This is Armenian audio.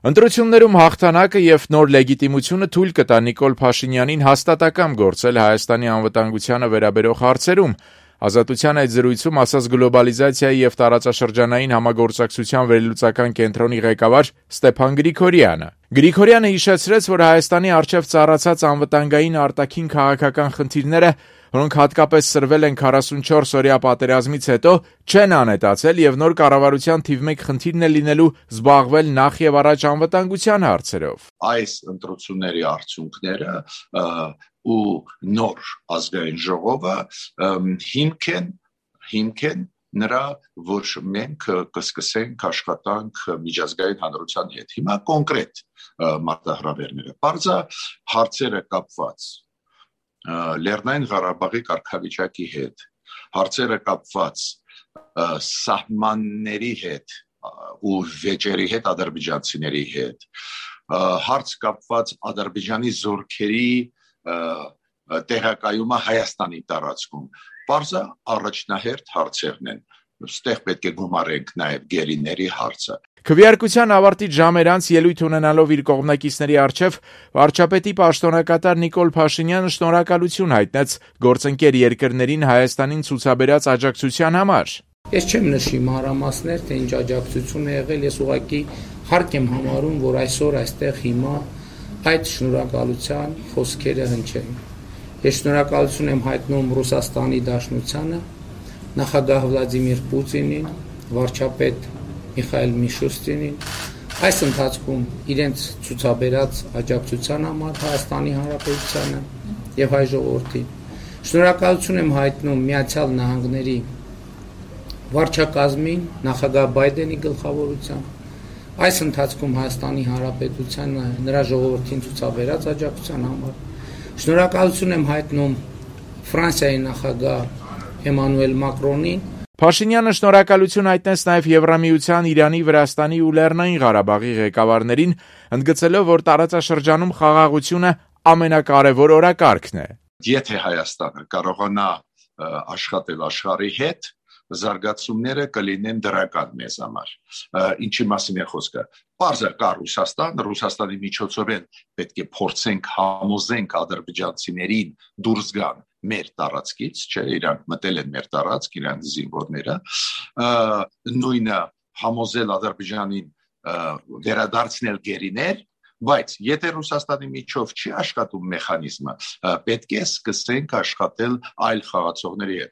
Ընտրություններում հաղթանակը եւ նոր լեգիտիմությունը թույլ կտա Նիկոլ Փաշինյանին հաստատակամ գործել Հայաստանի անվտանգությանը վերաբերող հարցերում, Ազատության այդ զրույցում ասաց գլոբալիզացիայի եւ տարածաշրջանային համագործակցության վերլուծական կենտրոնի ղեկավար Ստեփան Գրիգորյանը։ Գրիգորյանը հիշեցրեց, որ Հայաստանի առջև ծառացած անվտանգային արտաքին քաղաքական խնդիրները, որոնք հատկապես սրվել են 44-օրյա պատերազմից հետո, չեն անհետացել եւ նոր կառավարության թիվ 1 խնդիրն է լինելու զբաղվել նախ եւ առաջ անվտանգության հարցերով։ Այս ընտրությունների արդյունքները ու նոր ազգային ժողովը հիմք են նրա, որ մենք կսկսենք աշխատանք միջազգային հանրության հետ։ Հիմա կոնկրետ մարտահրավերները, բարձա հարցերը կապված Լեռնային Ղարաբաղի կարգավիճակի հետ, հարցերը կապված սահմանների հետ ու վեճերի հետ, ադրբեջանցիների հետ, հարց կապված Ադրբեջանի զորքերի տեղակայումը Հայաստանի տարածքում, բարձա առաջնահերթ հարցերն են, ստեղ պետք է գումարենք նաև գերիների հարցը։ Քվեարկության ավարտից ժամեր անց ելույթ ունենալով իր կողմնակիցների առջև վարչապետի պաշտոնակատար Նիկոլ Փաշինյանը շնորհակալություն հայտնեց գործընկեր երկրներին Հայաստանին ցուցաբերած աջակցության համար։ Ես չեմ նշի մանրամասներ, թե ինչ աջակցություն է եղել, ես ուղղակի հարկ եմ համարում, որ այսօր այստեղ հիմա այդ շնորհակալության խոսքերը հնչեն։ Ես շնորհակալություն եմ հայտնում Ռուսաստանի Դաշնությանը, նախագահ Վլադիմիր Պուտինին, վարչապետ Միխայել Միշուստինին, այս ընթացքում իրենց ցուցաբերած աջակցության համար Հայաստանի Հանրապետությանը եւ հայ ժողովրդին։ Շնորհակալություն եմ հայտնում Միացյալ Նահանգների վարչակազմին, նախագահ Բայդենի գլխավորությամբ, այս ընթացքում Հայաստանի Հանրապետությանը նրա ժողովրդին ցուցաբերած աջակցության համար։ Շնորհակալություն եմ հայտնում Ֆրանսիայի նախագահ Էմանուել Մակրոնին։ Փաշինյանը շնորհակալություն հայտնեց նաև Եվրամիության, Իրանի, Վրաստանի ու Լեռնային Ղարաբաղի ղեկավարներին, ընդգծելով, որ տարածաշրջանում խաղաղությունը ամենակարևոր օրակարգն է։ Եթե Հայաստանը կարողանա աշխատել աշխարհի հետ, զարգացումները կլինեն դրական մեզ համար։ Ինչի մասին է խոսքը։ Պարզը կա Ռուսաստանի միջոցով պետք է փորձենք համոզենք ադրբեջանցիներին դուրս գան մեր տարածքից, չէ, իրանք մտել են մեր տարածք, իրանք զինվորները, նույնը համոզել Ադրբեջանին վերադարձնել գերիներ, բայց եթե Ռուսաստանի միջով չի աշխատում մեխանիզմը, պետք է սկսենք աշխատել այլ խաղացողների հետ։